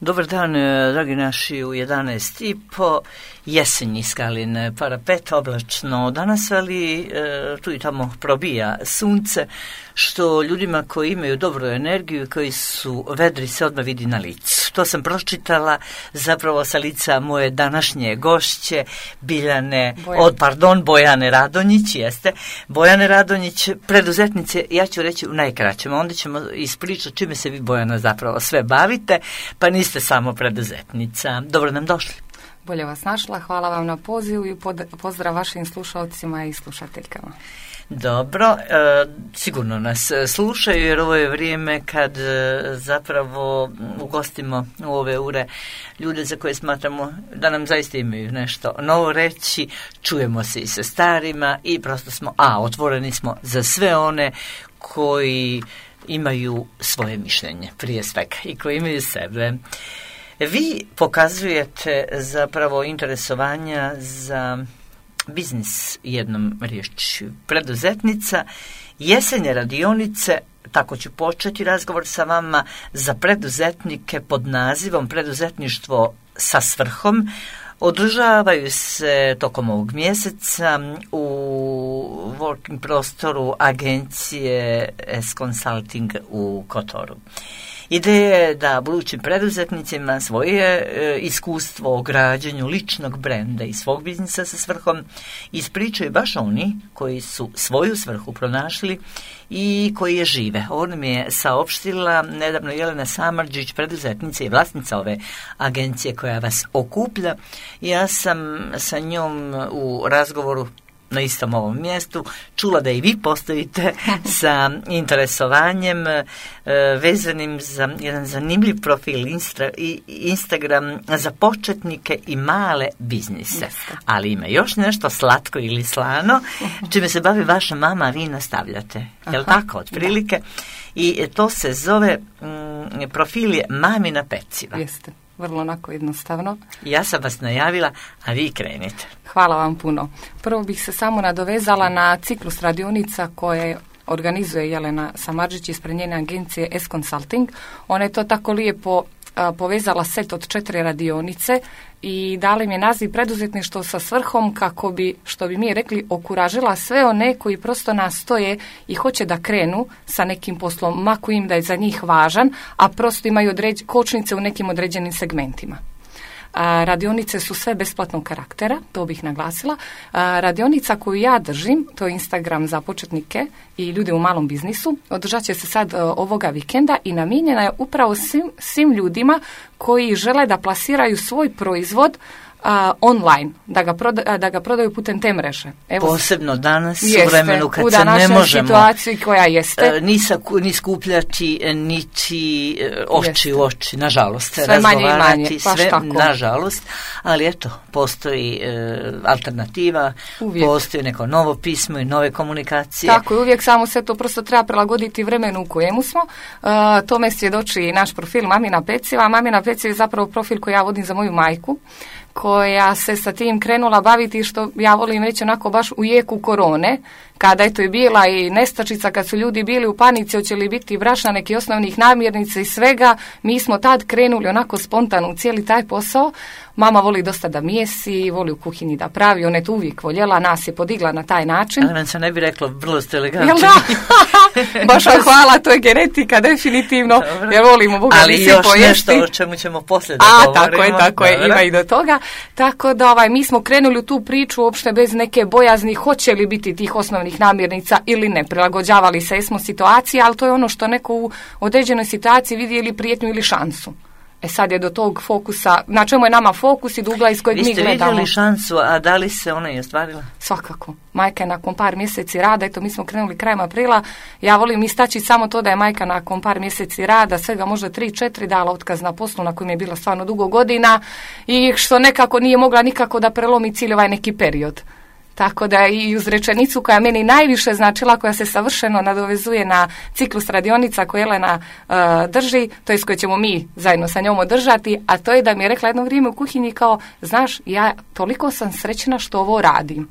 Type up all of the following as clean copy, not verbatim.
Dobar dan, dragi naši, u 11:30, jesen Skalin parapet, oblačno danas, ali tu i tamo probija sunce, što ljudima koji imaju dobru energiju i koji su vedri se odmah vidi na licu. To sam pročitala zapravo sa lica moje današnje gošće, Bojane Radonjić, jeste. Bojane Radonjić, preduzetnice, ja ću reći u najkraćem, onda ćemo ispričati čime se vi, Bojana, zapravo sve bavite, pa niste samo preduzetnica. Dobro nam došli. Bolje vas našla, hvala vam na pozivu i pozdrav vašim slušalcima i slušateljkama. Dobro, sigurno nas slušaju jer ovo je vrijeme kad zapravo ugostimo u ove ure ljude za koje smatramo da nam zaista imaju nešto novo reći, čujemo se i sa starima i prosto smo, otvoreni smo za sve one koji imaju svoje mišljenje prije svega i koji imaju sebe. Vi pokazujete zapravo interesovanja za biznis, jednom riječju preduzetnica, jesenje radionice, tako ću početi razgovor sa vama, za preduzetnike pod nazivom Preduzetništvo sa svrhom. Održavaju se tokom ovog mjeseca u working prostoru agencije S-Consulting u Kotoru. Ideja je da budućim preduzetnicima svoje iskustvo o građenju ličnog brenda i svog biznisa sa svrhom ispričaju baš oni koji su svoju svrhu pronašli i koji je žive. Ona mi je saopštila nedavno Jelena Samardžić, preduzetnica i vlasnica ove agencije koja vas okuplja. Ja sam sa njom u razgovoru na istom ovom mjestu čula da i vi postojite sa interesovanjem vezanim za jedan zanimljiv profil Instagram za početnike i male biznise. Ali ima još nešto slatko ili slano čime se bavi vaša mama, a vi nastavljate. Jel tako, otprilike? I to se zove, profil je Mamina peciva. Jeste. Vrlo onako jednostavno. Ja sam vas najavila, a vi krenite. Hvala vam puno. Prvo bih se samo nadovezala na ciklus radionica koje organizuje Jelena Samardžić ispred njene agencije S-Consulting. Ona je to tako lijepo povezala set od 4 radionice i dala im je naziv Preduzetništvo sa svrhom kako bi, što bi mi rekli, okuražila sve one koji prosto nastoje i hoće da krenu sa nekim poslom, mako im da je za njih važan, a prosto imaju kočnice u nekim određenim segmentima. Radionice su sve besplatnog karaktera, to bih naglasila. Radionica koju ja držim, to je Instagram za početnike i ljude u malom biznisu, održat će se sad ovoga vikenda i namijenjena je upravo svim ljudima koji žele da plasiraju svoj proizvod online, da ga prodaju putem te mreže. Evo, posebno danas u vremenu kad se ne možemo situaciji koja jeste ni skupljati niti oči u oči, nažalost, sve manje, sve nažalost, ali eto, postoji alternativa, postoji neko novo pismo i nove komunikacije. Tako je, uvijek samo se to prosto treba prilagoditi vremenu u kojemu smo. Tome svjedoči naš profil Mamina peciva. Mamina peciva je zapravo profil koji ja vodim za moju majku, koja se sa tim krenula baviti, što ja volim reći onako baš u jeku korone, kada je to i bila i nestačica, kad su ljudi bili u panici, hoće li biti brašna, neki osnovnih namirnica i svega, mi smo tad krenuli onako spontano u cijeli taj posao. Mama voli dosta da mijesi, voli u kuhinji da pravi, ona je to uvijek voljela, nas je podigla na taj način. Ali vam se ne bi reklo, vrlo ste elegantni. Jel da? Baš vam hvala, to je genetika, definitivno, jer volimo Boga ali mi se pojesti. Ali još nešto o čemu ćemo poslije da govorimo. Tako je, ima i do toga. Tako da mi smo krenuli u tu priču uopšte bez neke bojazni, hoće li biti tih osnovnih namirnica ili ne. Prilagođavali se smo situaciji, ali to je ono što neko u određenoj situaciji vidi ili prijetnju ili šansu. Sad je do tog fokusa, na čemu je nama fokus i do ugla iz kojeg mi gledamo. Vi ste vidjeli šansu, a da li se ona i ostvarila? Svakako. Majka je nakon par mjeseci rada, eto mi smo krenuli krajem aprila, ja volim istaći samo to da je majka nakon par mjeseci rada, svega možda 3-4 dala otkaz na poslu na kojem je bila stvarno dugo godina i što nekako nije mogla nikako da prelomi cijeli ovaj neki period. Tako da i uz rečenicu koja meni najviše značila, koja se savršeno nadovezuje na ciklus radionica koje Jelena drži, to je s koje ćemo mi zajedno sa njom održati, a to je da mi je rekla jedno vrijeme u kuhinji kao, znaš, ja toliko sam srećna što ovo radim.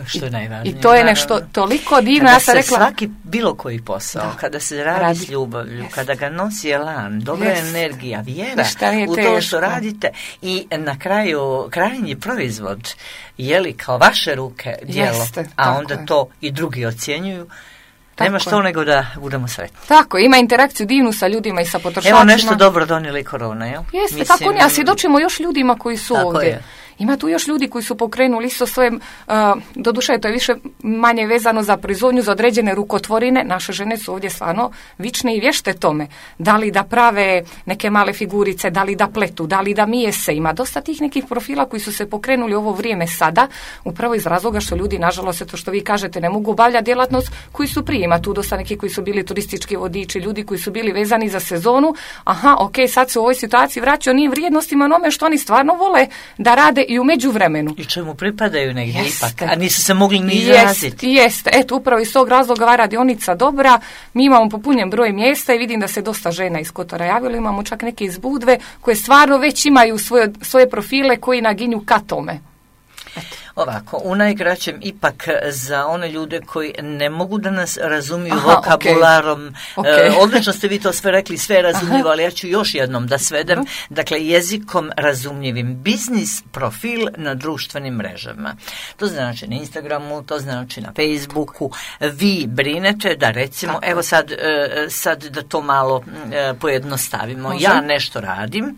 Što je najvažnije. I to je nešto toliko divno. Ja sam rekla, svaki bilo koji posao, kada se radi s ljubavlju, kada ga nosi elan, dobra energija, vjera u to što radite i na kraju krajnji proizvod kao vaše ruke djelo, a onda to i drugi ocjenjuju. Nema što nego da budemo sretni. Tako, ima interakciju divnu sa ljudima i sa potrošačima. Evo nešto dobro donijeli korona, jel? Jeste, tako ne, a svjedočimo još ljudima koji su ovdje. Ima tu još ljudi koji su pokrenuli isto svoje, doduše to je više manje vezano za proizvodnju, za određene rukotvorine. Naše žene su ovdje stvarno vične i vješte tome. Da li da prave neke male figurice, da li da pletu, da li da mijese. Ima dosta tih nekih profila koji su se pokrenuli ovo vrijeme sada, upravo iz razloga što ljudi, nažalost, to što vi kažete, ne mogu obavljati djelatnost koji su prije. Ima tu dosta neki koji su bili turistički vodiči, ljudi koji su bili vezani za sezonu. Aha, ok, sad se u ovoj situaciji vraćaju onim vrijednostima onome što oni stvarno vole da rade i u međuvremenu. I čemu pripadaju negdje ipak, a nisu se mogli ni izraziti. Jeste, eto, upravo iz tog razloga ova radionica dobra, mi imamo popunjen broj mjesta i vidim da se dosta žena iz Kotora javilo, imamo čak neke iz Budve koje stvarno već imaju svoje profile koji naginju ka tome. Eto. Ovako, u najkraćem ipak za one ljude koji ne mogu da nas razumiju vokabularom, odlično ste vi to sve rekli, sve je razumljivo, ali ja ću još jednom da svedem, dakle jezikom razumljivim, biznis profil na društvenim mrežama. To znači na Instagramu, to znači na Facebooku, vi brinete da recimo, evo sad da to malo pojednostavimo, ja nešto radim,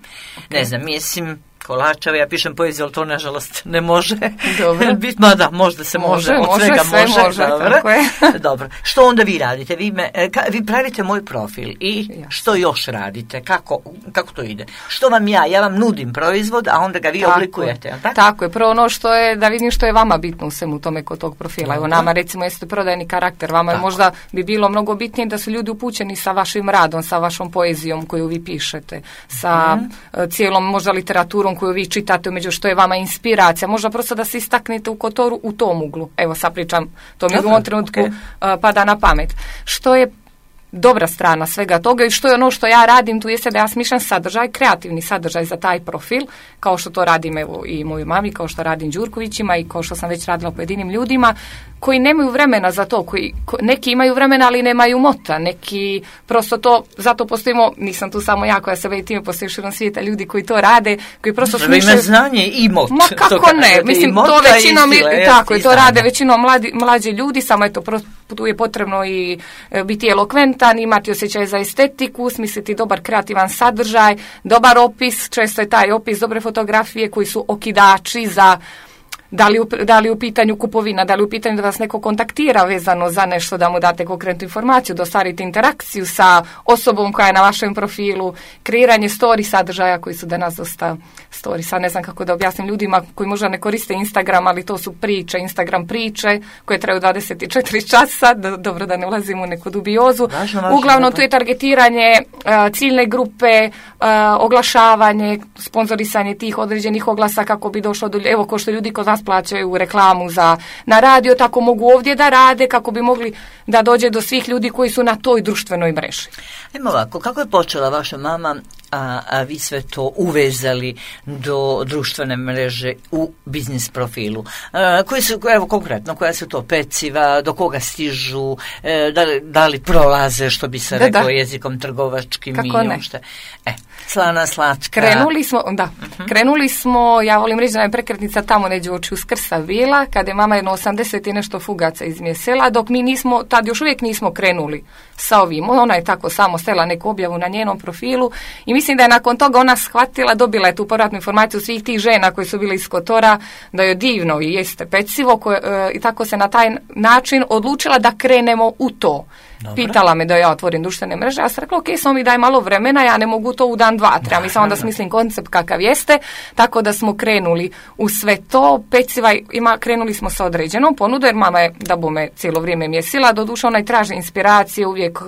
ne znam, mislim, kolačeva, ja pišem poeziju, ali to nažalost ne može. Dobro. Mada možda se može, od svega može. Dobro. Dobro. Što onda vi radite? Vi pravite moj profil i što još radite? Kako to ide? Što vam ja vam nudim proizvod, a onda ga vi oblikujete. Tako je. Prvo ono što je, da vidim što je vama bitno u svemu tome kod tog profila. Evo nama recimo jeste prodajni karakter. Vama je možda bi bilo mnogo bitnije da su ljudi upućeni sa vašim radom, sa vašom poezijom koju vi pišete, sa cijelom možda literaturom koju vi čitate, među što je vama inspiracija, možda prosto da se istaknete u Kotoru u tom uglu. Evo sad pričam, to mi u ovom trenutku pada na pamet. Što je dobra strana svega toga i što je ono što ja radim tu jeste da ja smišljam sadržaj, kreativni sadržaj za taj profil, kao što to radim evo i moju mami, kao što radim Đurkovićima i kao što sam već radila pojedinim ljudima koji nemaju vremena za to, neki imaju vremena ali nemaju mota, neki prosto to, zato postojimo, nisam tu samo ja koja se bavi time, postoji širom svijeta ljudi koji to rade, koji prosto smišljaju. Ima znanje i mot. Ma kako ne, mislim to većinom, tako je, to rade većinom mlađi ljudi, samo je to tu je potrebno i biti elokventan, imati osjećaj za estetiku, smisliti dobar kreativan sadržaj, dobar opis, često je taj opis dobre fotografije koji su okidači za da li u pitanju kupovina, da li u pitanju da vas neko kontaktira vezano za nešto, da mu date konkretnu informaciju, da ostvarite interakciju sa osobom koja je na vašem profilu, kreiranje story sadržaja koji su danas dosta story. Sad ne znam kako da objasnim ljudima koji možda ne koriste Instagram, ali to su priče, Instagram priče koje traju 24 časa, dobro da ne ulazimo u neku dubiozu. Uglavnom tu je targetiranje ciljne grupe, oglašavanje, sponzorisanje tih određenih oglasa kako bi došlo do, evo ko što ljudi kod nas plaćaju reklamu na radio, tako mogu ovdje da rade kako bi mogli da dođe do svih ljudi koji su na toj društvenoj mreži. Evo ovako, kako je počela vaša mama, a vi sve to uvezali do društvene mreže u biznis profilu? Koji su, evo konkretno, koja su to peciva, do koga stižu, da li prolaze, što bi se reklo jezikom trgovačkim i uopšte? Slana, slatka. Krenuli smo, ja volim reći da je prekretnica tamo neđe oči Uskrsa bila, kada je mama jedno 80 i nešto fugaca izmjesela, dok mi nismo, tad još uvijek nismo krenuli sa ovim. Ona je tako samo stela neku objavu na njenom profilu i mislim da je nakon toga ona shvatila, dobila je tu povratnu informaciju svih tih žena koji su bile iz Kotora, da je divno i jeste pecivo i tako se na taj način odlučila da krenemo u to. Dobre. Pitala me da ja otvorim društvene mreže, ja sam rekla, ok, samo mi daj malo vremena, ja ne mogu to u dan, dva, treba mi samo da smislim koncept kakav jeste, tako da smo krenuli u sve to, peciva krenuli smo sa određenom ponudom, jer mama je da bome cijelo vrijeme mjesila, doduše ona i traži inspiracije, uvijek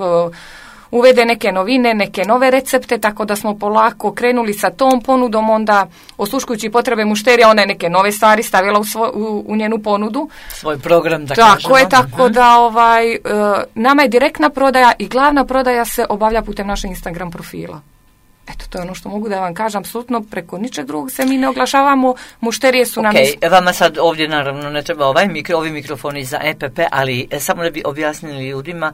uvede neke novine, neke nove recepte, tako da smo polako krenuli sa tom ponudom, onda osluškujući potrebe mušterija, ona je neke nove stvari stavila u njenu ponudu. Svoj program, da kažemo. Tako je, tako da nama je direktna prodaja i glavna prodaja se obavlja putem našeg Instagram profila. Eto, to je ono što mogu da vam kažem, apsolutno preko ničeg drugog se mi ne oglašavamo, mušterije su nam... Vama sad ovdje naravno ne treba ovi mikrofoni za EPP, ali samo da bi objasnili ljudima,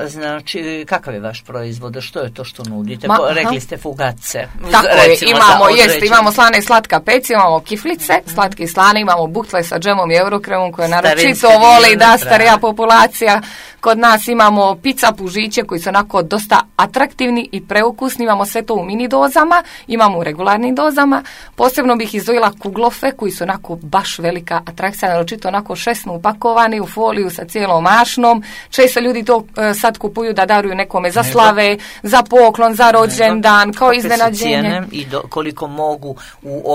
znači, kakav je vaš proizvod, što je to što nudite? Rekli ste fugace. Tako je, imamo slane i slatka peci, imamo kiflice, slatke i slane, imamo buktle sa džemom i eurokremom koje naročito voli da starija populacija. Kod nas imamo pizza pužiće koji su onako dosta atraktivni i preukusni, imamo sve to u mini dozama, imamo u regularnim dozama. Posebno bih izdvojila kuglofe koji su onako baš velika atrakcija, naročito onako šesno upakovani u foliju sa cijelom mašnom. Često ljudi to sad kupuju da daruju nekome za slave, za poklon, za rođendan, kao iznenađenje. I koliko mogu u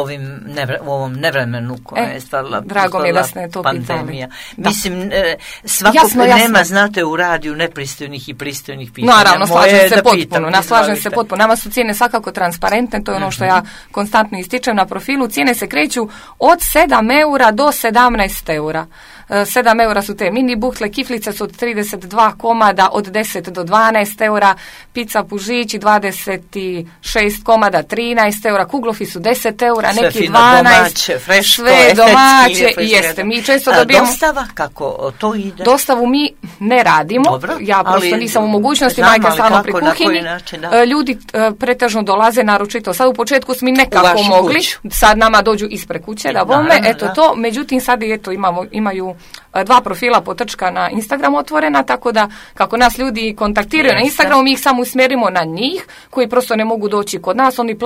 ovom nevremenu koje je stvarila pandemija. Mislim, svakog nema, znate, u radiju nepristojnih i pristojnih pitanja. Naravno, slažem se potpuno. Nama su cijene svakako transparentne, to je ono što ja konstantno ističem na profilu. Cijene se kreću od 7 eura do 17 eura. 7 eura su te mini buktle, kiflice su od 32 komada od 10 do 12 eura, pizza pužići 26 komada 13 eura, kuglofi su 10 eura, sve neki fino, 12, domaće, freško, sve domaće i jeste. Mi često dobijemo... Dostava, kako to ide? Dostavu mi ne radimo, dobro, ja prosto nisam u mogućnosti, majka stalno pri kuhinji. Ljudi pretežno dolaze, naročito sad u početku smo mi nekako mogli, sad nama dođu ispred kuće da bome, eto to, međutim sad imaju 2 profila potrčka na Instagram otvorena, tako da kako nas ljudi kontaktiraju na Instagramu, mi ih samo usmjerimo na njih, koji prosto ne mogu doći kod nas, oni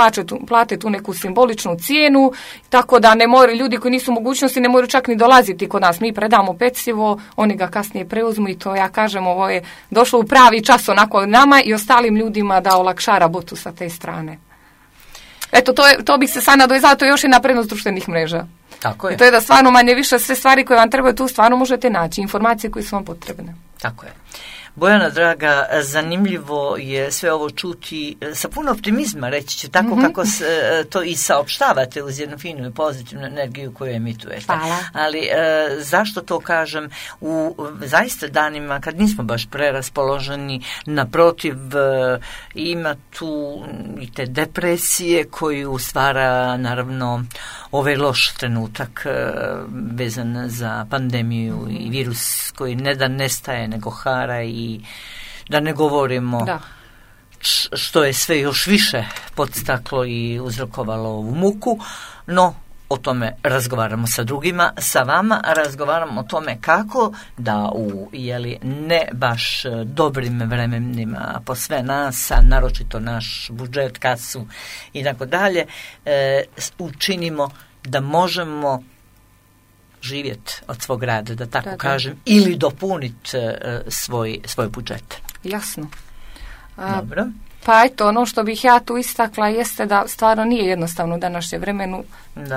plate tu neku simboličnu cijenu, tako da ne moraju, ljudi koji nisu u mogućnosti ne moraju čak ni dolaziti kod nas, mi predamo pecivo, oni ga kasnije preuzmu i to ja kažem, ovo je došlo u pravi čas onako nama i ostalim ljudima da olakša rabotu sa te strane. Eto, to bih se sad nadovezala, to je još jedna prednost društvenih mreža. Tako je. I to je da stvarno manje više sve stvari koje vam trebaju tu stvarno možete naći, informacije koje su vam potrebne. Tako je. Bojana draga, zanimljivo je sve ovo čuti sa puno optimizma, reći ću, tako kako to i saopštavate uz jednu finu i pozitivnu energiju koju emitujete. Hvala. Ali zašto to kažem u zaista danima kad nismo baš preraspoloženi, naprotiv ima tu i te depresije koju stvara naravno ovaj loš trenutak vezan za pandemiju i virus koji ne da nestaje nego hara i da ne govorimo što je sve još više podstaklo i uzrokovalo ovu muku, no o tome razgovaramo sa drugima, sa vama razgovaramo o tome kako da u ne baš dobrim vremenima po sve nas, a naročito naš budžet, kasu i tako dalje, učinimo da možemo živjeti od svog rada, da tako kažem, ili dopuniti svoj budžet. Jasno. Dobro. Pa eto, ono što bih ja tu istakla jeste da stvarno nije jednostavno u današnjem vremenu.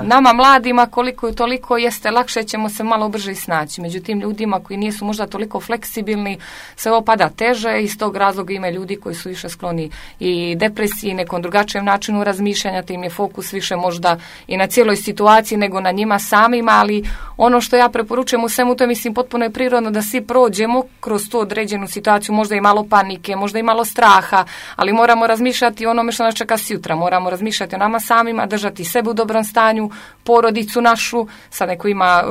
Nama mladima koliko i toliko jeste lakše, ćemo se malo brže snaći. Međutim, ljudima koji nisu možda toliko fleksibilni, se ovo pada teže i iz tog razloga ima ljudi koji su više skloni i depresiji, nekom drugačijem načinu razmišljanja, te im je fokus više možda i na cijeloj situaciji nego na njima samima, ali ono što ja preporučujem u svemu to je, mislim, potpuno je prirodno da svi prođemo kroz tu određenu situaciju, možda i malo panike, možda i malo straha, ali moramo razmišljati o onome što nas čeka sutra, moramo razmišljati o nama samima, držati sebe u dobrom stanju, porodicu našu, sad neko ima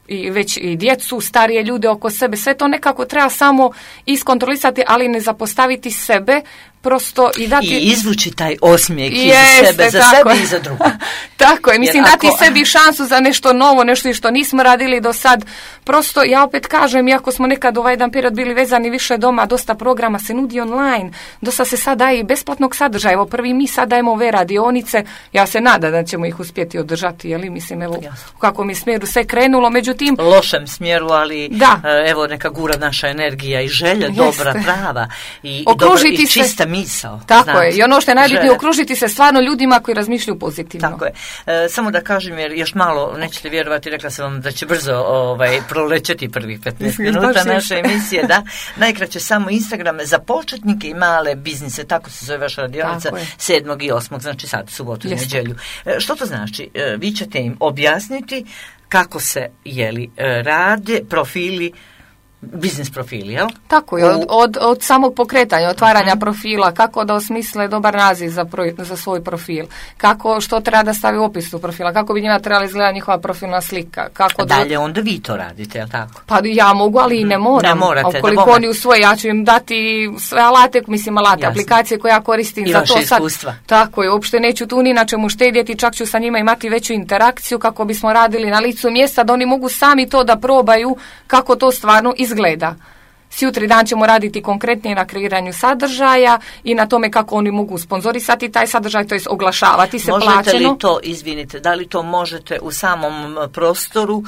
i već i djecu, starije ljude oko sebe, sve to nekako treba samo iskontrolisati, ali ne zapostaviti sebe, prosto i dati... I izvući taj osmijeh iz sebe, za sebe i za drugo. Tako je, mislim, dati sebi šansu za nešto novo, nešto što nismo radili do sad. Prosto, ja opet kažem, iako smo nekad ovaj jedan period bili vezani više doma, dosta programa se nudi online, dosta se sad daje i besplatnog sadržaja. Evo, prvi mi sad dajemo ove radionice, ja se nadam da ćemo ih uspjeti održati, jeli, mislim, evo, u kakvom je smjeru sve krenulo, međutim... Lošem smjeru, ali evo, neka gura naša energija i želja, dobra, prava i čista misao. Tako je. I ono što je najbitnije, okružiti se stvarno ljudima koji razmišljaju pozitivno. Tako je. Samo da kažem, jer još malo, nećete vjerovati, rekla sam vam da će brzo prolećeti prvih 15 minuta naše emisije. Da. Najkraće samo Instagram za početnike i male biznise, tako se zove vaša radionica, 7. i 8. znači sad, subotu i nedjelju. Što to znači? Vi ćete im objasniti kako se rade profili biznis profili, jel? Tako je, od samog pokretanja, otvaranja profila, kako da osmisle dobar naziv za svoj profil, što treba da stavi u opisu profila, kako bi njima trebala izgledati njihova profilna slika. Dalje onda vi to radite, jel tako? Pa ja mogu, ali i ne moram. Ne morate, ukoliko oni usvoje, ja ću im dati sve alate, aplikacije koje ja koristim i za to sad. iskustva. Tako je, uopšte neću tu ni na čemu štedjeti, čak ću sa njima imati veću interakciju kako bismo radili na licu mjesta, da oni mogu sami to da probaju kako to stvarno izgleda. Sutri dan ćemo raditi konkretnije na kreiranju sadržaja i na tome kako oni mogu sponzorisati taj sadržaj, to jest oglašavati se plaćeno. Možete li to, izvinite, da li to možete u samom prostoru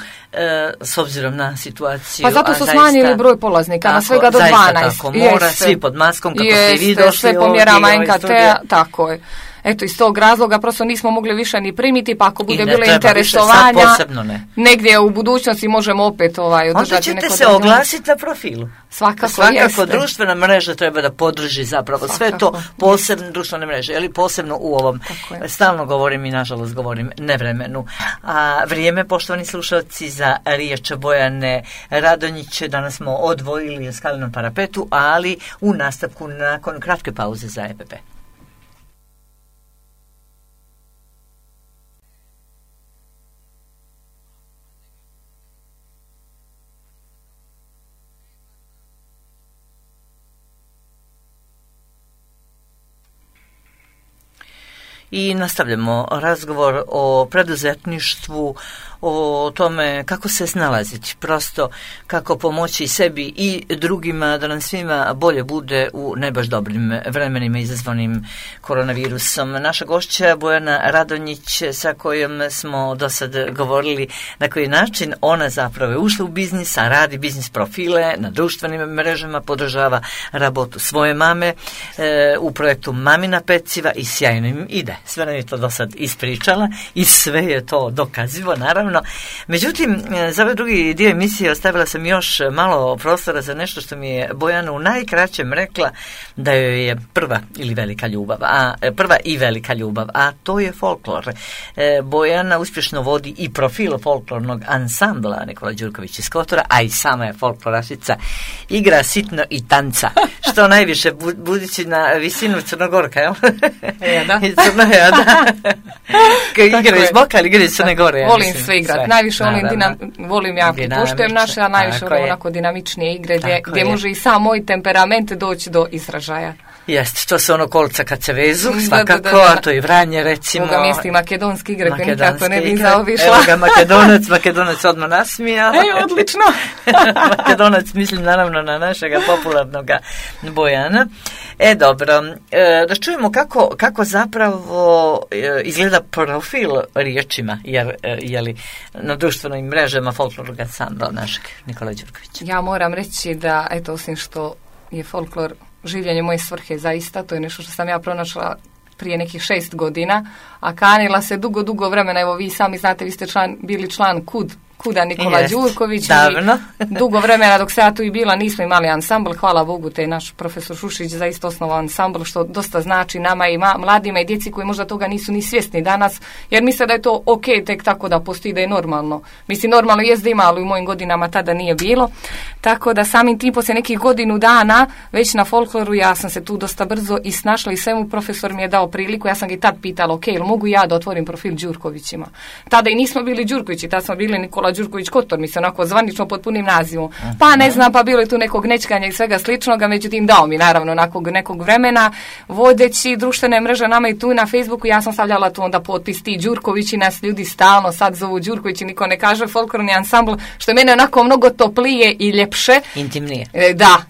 s obzirom na situaciju? Pa zato su smanjili broj polaznika na svega do 12. Tako, mora svi pod maskom kako ste vi došli sve po mjerama NKT-a, tako je. Eto, iz tog razloga prosto nismo mogli više ni primiti, pa ako bude bilo interesovanja, negdje u budućnosti možemo opet održati neko... Onda ćete se oglasiti na profilu. Svakako društvena mreža treba da podrži zapravo sve to, posebno društvene mreže, ili posebno u ovom, stalno govorim i nažalost govorim nevremenu. A vrijeme, poštovani slušalci, za riječ Bojane Radonjić danas smo odvojili u skalenom parapetu, ali u nastavku nakon kratke pauze za EPP. I nastavljamo razgovor o preduzetništvu, o tome kako se snalaziti, prosto kako pomoći sebi i drugima da nam svima bolje bude u ne baš dobrim vremenima izazvanim koronavirusom. Naša gošća Bojana Radonjić, sa kojom smo do sad govorili na koji način ona zapravo je ušla u biznis, a radi biznis profile na društvenim mrežama, podržava rabotu svoje mame u projektu Mamina peciva i sjajno im ide. Sve nam je to do sad ispričala i sve je to dokazivo, naravno. Međutim, za ovaj drugi dio emisije ostavila sam još malo prostora za nešto što mi je Bojana u najkraćem rekla da joj je prva i velika ljubav, a to je folklor. Bojana uspješno vodi i profil folklornog ansambla Nikola Đurković iz Kotora, a i sama je folklorašica, igra sitno i tanca, što najviše budući na visinu Crnogorka, jel? Da. Igra iz Boka, ali igra iz Crne Gore. Volim sve igrati. Najviše volim ja pripuštujem naše, a najviše volim onako dinamičnije igre gdje može i sam moj temperament doći do izražaja. Jeste, to su kolca kad se vezu, svakako, a to i Vranje recimo. Ovoga mjesti makedonski igre koje nikako ne bi zaobišla. Evo ga Makedonac odmah nasmija. Odlično. Makedonac, mislim naravno na našega popularnog Bojana. Dobro, da čujemo kako zapravo izgleda profil riječima, jer na društvenim mrežama folklornog ansambla našeg Nikola Đurkovića. Ja moram reći da, osim što je folklor življenje moje svrhe zaista, to je nešto što sam ja pronašla prije nekih 6 godina, a kanila se dugo vremena, evo vi sami znate, vi ste bili član Kuda Nikola Đurković i dugo vremena dok se ja tu i bila nismo imali ansambl, hvala Bogu te naš profesor Šušić zaista osnovao ansambl, što dosta znači nama i mladima i djeci koji možda toga nisu ni svjesni danas, jer misle da je to ok tek tako da postoji, da je normalno. Mislim, normalno jest da ima, ali u mojim godinama tada nije bilo, tako da samim tim poslije nekih godinu dana već na folkloru ja sam se tu dosta brzo i snašla i svemu profesor mi je dao priliku, ja sam ga i tad pitala, ok, ili mogu ja da otvorim profil Đurkovićima. Tada i nismo bili Đurkovići, tada smo bili Nikola Đurković Kotor, mislim, onako zvanično pod punim nazivom. Pa ne znam, pa bilo je tu nekog nečkanja i svega sličnoga, međutim dao mi naravno nakon nekog vremena, vodeći društvene mreže nama i tu na Facebooku, ja sam stavljala tu onda potpis ti Đurkovići, nas ljudi stalno sad zovu Đurkovići, niko ne kaže folklorni ansambl, što je mene onako mnogo toplije i ljepše. Intimnije.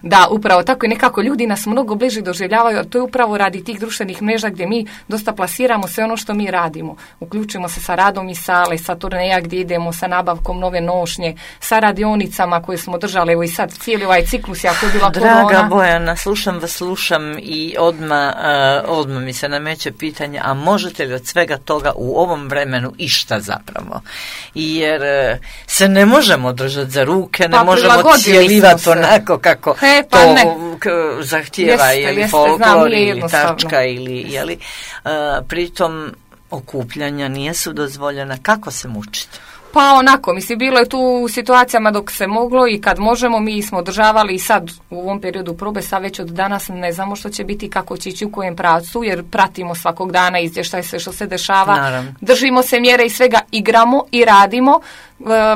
Da, upravo tako i nekako ljudi nas mnogo bliže doživljavaju, a to je upravo radi tih društvenih mreža gdje mi dosta plasiramo sve ono što mi radimo. Uključujemo se sa radom i sale, sa turneja gdje idemo, sa nabavkom nove nošnje, sa radionicama koje smo držali, evo i sad cijeli ovaj ciklus, jako je bila korona. Draga Bojana, slušam i odmah mi se nameće pitanje, a možete li od svega toga u ovom vremenu išta zapravo? Jer se ne možemo držati za ruke, ne možemo cijelivati onako kako to zahtijeva ili folklor ili tačka ili pritom okupljanja nisu dozvoljena. Kako se mučiti? Pa onako, mislim, bilo je tu u situacijama dok se moglo i kad možemo, mi smo održavali i sad u ovom periodu probe, sad već od danas ne znamo što će biti, kako će ići u kojem pravcu, jer pratimo svakog dana izvještaj sve što se dešava, Naravno. Držimo se mjere i svega, igramo i radimo.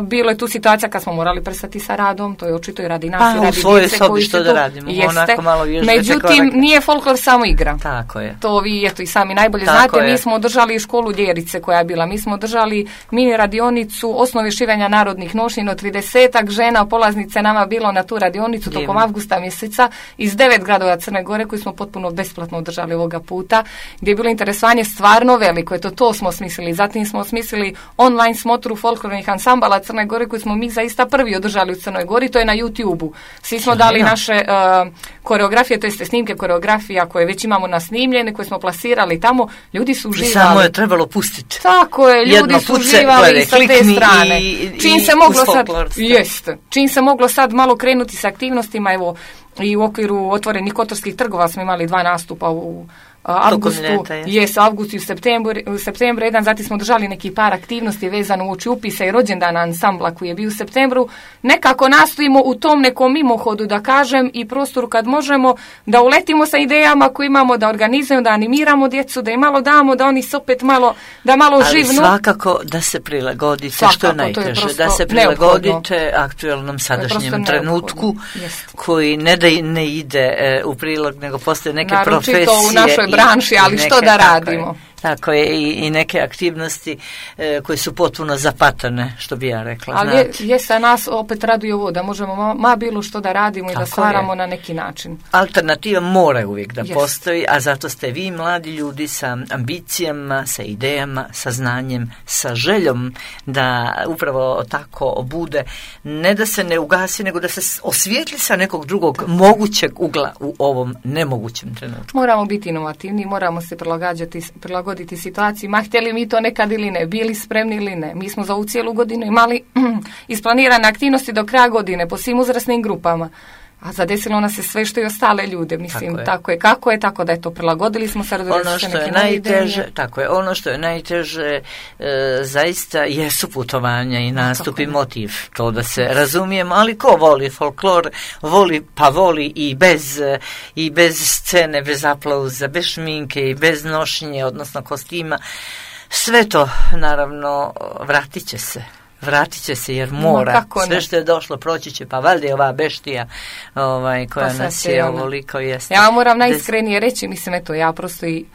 Bilo je tu situacija kad smo morali prestati sa radom, to je očito i radi nas i radi djece koji što se da radimo, onako malo međutim, nije folklor samo igra. Tako je. To vi eto i sami najbolje Tako znate, je. mi smo održali školu Ljerice koja je bila, mi smo održali mini radionicu osnove šivanja narodnih nošnjina, 30 žena polaznice nama bilo na tu radionicu tokom avgusta mjeseca iz 9 gradova Crne Gore koji smo potpuno besplatno održali ovoga puta, gdje je bilo interesovanje stvarno veliko, to smo smislili. Zatim smo smislili online smotru folklornih ansambala Crne Gore koji smo mi zaista prvi održali u Crnoj Gori, to je na YouTube-u. Svi smo dali naše koreografije, to jeste snimke koreografija koje već imamo nasnimljene, koje smo plasirali tamo, ljudi su uživali. Samo je trebalo pustiti. Tako je, ljudi su uživali sa te strane. Čim se moglo sad malo krenuti sa aktivnostima, evo i u okviru otvorenih kotorskih trgova smo imali 2 nastupa u avgustu, avgust i u septembru jedan, zatim smo držali neki par aktivnosti vezano uoči upisa i rođendana ansambla koji je bio u septembru. Nekako nastojimo u tom nekom mimohodu, da kažem, i prostoru kad možemo da uletimo sa idejama koje imamo, da organizujemo, da animiramo djecu, da im malo damo, da oni se opet malo živnu. Ali svakako da se prilagodite, što je najteže, da se prilagodite aktualnom sadašnjem trenutku koji ne da ne ide u prilog, nego postoje neke profesije u našoj branši, ali što da radimo? Tako je, i neke aktivnosti koje su potpuno zapatane, što bi ja rekla. Ali sa nas opet raduje ovo, da možemo bilo što da radimo i da stvaramo na neki način. Alternativa mora uvijek da postoji, a zato ste vi mladi ljudi sa ambicijama, sa idejama, sa znanjem, sa željom da upravo tako bude, ne da se ne ugasi, nego da se osvijetli sa nekog drugog mogućeg ugla u ovom nemogućem trenutku. Moramo biti inovativni, moramo se prilagoditi situaciji, ma htjeli mi to nekad ili ne, bili spremni ili ne. Mi smo za ovu cijelu godinu imali isplanirane aktivnosti do kraja godine po svim uzrasnim grupama, a zadesilo nas je sve što i ostale ljude, mislim, tako da je to prilagodili smo se. Ono što je najteže zaista jesu putovanja i nastup i motiv, to da se razumijemo, ali ko voli folklor, voli i bez scene, bez aplauza, bez šminke i bez nošnje, odnosno kostima, sve to naravno vratit će se jer mora. Sve što je došlo proći će, pa valjda je ova beštija koja nas je ovoliko jeste. Ja moram najiskrenije reći, mislim, ja prosto i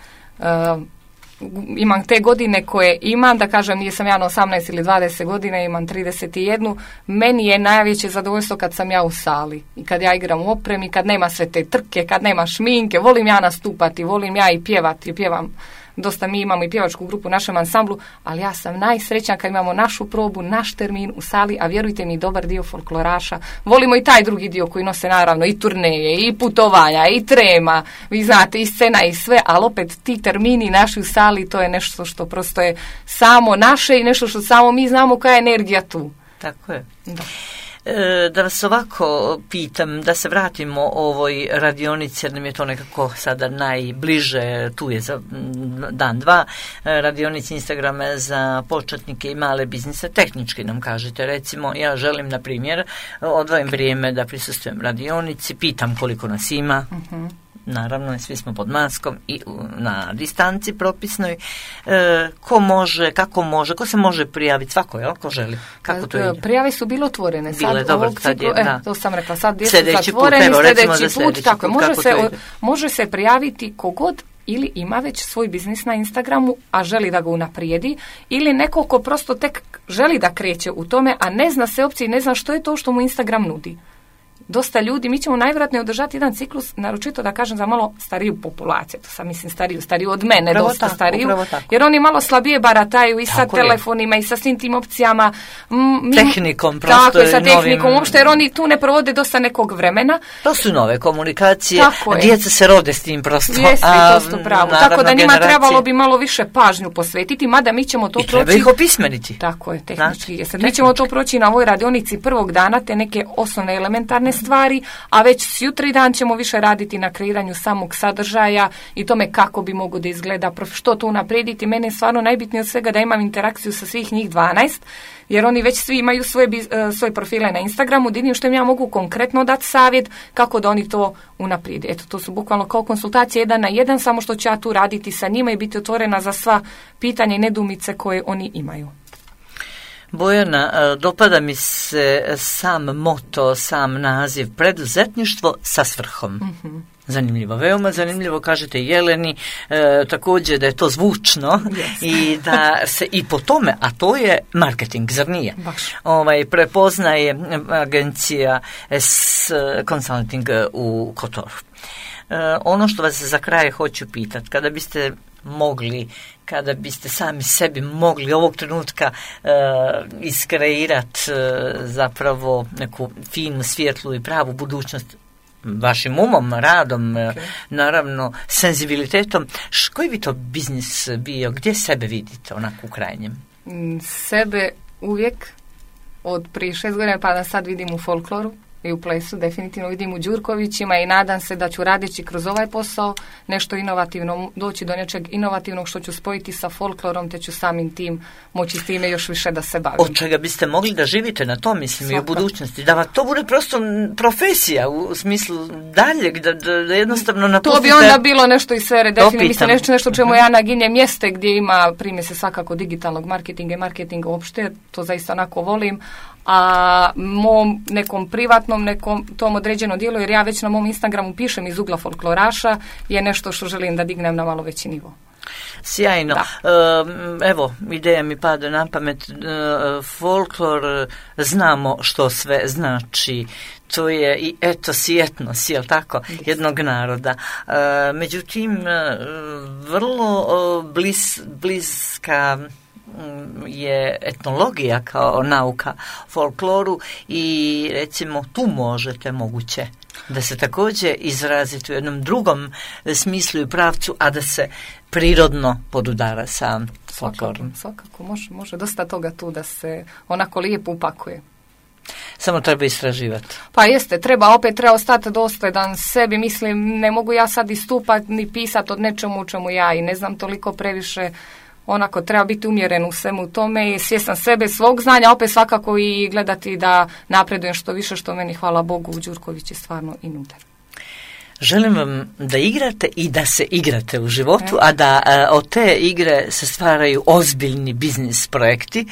imam te godine koje imam, da kažem, nisam ja na 18 ili 20 godina, imam 31, meni je najveće zadovoljstvo kad sam ja u sali i kad ja igram u opremi, kad nema sve te trke, kad nema šminke, volim ja nastupati, volim ja i pjevati, pjevam. Dosta mi imamo i pjevačku grupu u našem ansamblu, ali ja sam najsrećna kad imamo našu probu, naš termin u sali, a vjerujte mi, dobar dio folkloraša. Volimo i taj drugi dio koji nose naravno i turneje, i putovanja, i trema, vi znate, i scena i sve, ali opet ti termini naši u sali, to je nešto što prosto je samo naše i nešto što samo mi znamo koja je energija tu. Tako je. Da vas ovako pitam, da se vratimo ovoj radionici, jer nam je to nekako sada najbliže, tu je za dan, dva, radionici Instagrama za početnike i male biznise, tehnički nam kažete, recimo, ja želim, na primjer, odvojim vrijeme da prisustujem radionici, pitam koliko nas ima, naravno, svi smo pod maskom i na distanci propisnoj. Ko može, kako može, ko se može prijaviti, svako, jel, ko želi, kako to ide? Prijave su bile otvorene. Bile, dobro, sad je, da. To sam rekla, sad jesu zatvoreni, sljedeći put, tako, može se prijaviti kogod ili ima već svoj biznis na Instagramu, a želi da ga unaprijedi, ili neko ko prosto tek želi da kreće u tome, a ne zna se opcije, ne zna što je to što mu Instagram nudi. Dosta ljudi, mi ćemo najvjerojatnije održati jedan ciklus, naročito da kažem za malo stariju populaciju, to sam mislim stariju od mene, upravo dosta tako, stariju, jer oni malo slabije barataju i sa telefonima i sa svim tim opcijama. Tehnikom, prosto. Tako je, sa tehnikom, uopšte, jer oni tu ne provode dosta nekog vremena. To su nove komunikacije, djeca se rode s tim prosto. Jeste, to su pravo. Tako da njima trebalo bi malo više pažnju posvetiti, mada mi ćemo to proći. I treba ih opismeniti. Tako je, tehnički. Mi ćemo to proći na ovoj radionici prvog dana, te neke osnovne elementarne kreativne stvari, a već sjutra dan ćemo više raditi na kreiranju samog sadržaja i tome kako bi mogo da izgleda, što to unaprijediti. Mene je stvarno najbitnije od svega da imam interakciju sa svih njih 12, jer oni već svi imaju svoje profile na Instagramu, da vidim što im ja mogu konkretno dati savjet kako da oni to unaprijede. Eto, to su bukvalno kao konsultacije 1 na 1, samo što ću ja tu raditi sa njima i biti otvorena za sva pitanja i nedumice koje oni imaju. Bojana, dopada mi se sam moto, sam naziv, preduzetništvo sa svrhom. Mm-hmm. Zanimljivo, veoma zanimljivo, kažete Jeleni, također da je to zvučno yes. I da se i po tome, a to je marketing, zar nije? Baš. Prepoznaje agencija S-Consulting u Kotoru. Ono što vas za kraj hoću pitati, kada biste sami sebi mogli ovog trenutka iskreirati zapravo neku finu, svjetlu i pravu budućnost vašim umom, radom, naravno senzibilitetom, koji bi to biznis bio, gdje sebe vidite onako u krajnjem? Sebe uvijek od prije 6 godina pa da sad vidim u folkloru i u plesu, definitivno vidim u Đurkovićima i nadam se da ću radeći kroz ovaj posao nešto inovativno, doći do nečeg inovativnog što ću spojiti sa folklorom, te ću samim tim moći s time još više da se bavim. Od čega biste mogli da živite na to, mislim, i u budućnosti? Da to bude prosto profesija u smislu daljeg, da jednostavno napustite... To bi onda bilo nešto iz sfere, definitivno, mislim, nešto čemu ja naginjem mjeste gdje ima primjese svakako digitalnog marketinga i marketinga uopšte, to zaista onako volim, a mom nekom privatnom, nekom tom određenom dijelu, jer ja već na mom Instagramu pišem iz ugla folkloraša, je nešto što želim da dignem na malo veći nivo. Sjajno. Evo, ideja mi pada na pamet. Folklor, znamo što sve znači. To je i etos i etnos, jel tako, jednog naroda. Međutim, vrlo bliska je etnologija kao nauka folkloru i recimo tu moguće da se također izraziti u jednom drugom smislu i pravcu, a da se prirodno podudara sa folklorom. Svakako, može dosta toga tu da se onako lijepo upakuje. Samo treba istraživati. Pa jeste, treba ostati dosljedan sebi, mislim, ne mogu ja sad istupati ni pisati od nečemu u čemu ja i ne znam toliko previše. Onako, treba biti umjeren u svemu tome i svjestan sebe, svog znanja, opet svakako i gledati da napredujem što više, što meni, hvala Bogu, u Đurković je stvarno i nude. Želim vam da igrate i da se igrate u životu, a da od te igre se stvaraju ozbiljni biznis projekti.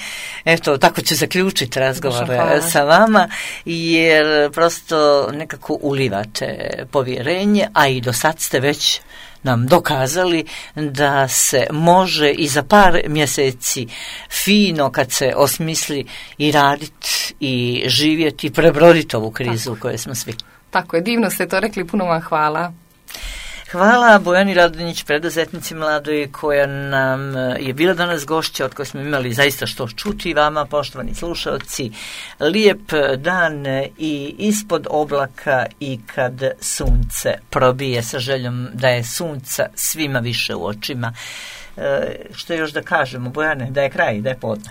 Eto, tako ću zaključiti razgovor sa vama, jer prosto nekako ulivate povjerenje, a i do sad ste već nam dokazali da se može i za par mjeseci fino, kad se osmisli, i raditi i živjeti i prebroditi ovu krizu u kojoj smo svi. Tako je, divno ste to rekli, puno vam hvala. Hvala Bojani Radonjić, preduzetnici mladoj, koja nam je bila danas gošća, od koje smo imali zaista što čuti. Vama, poštovani slušalci, lijep dan i ispod oblaka i kad sunce probije, sa željom da je sunca svima više u očima. Što još da kažemo, Bojane, da je kraj, da je podne.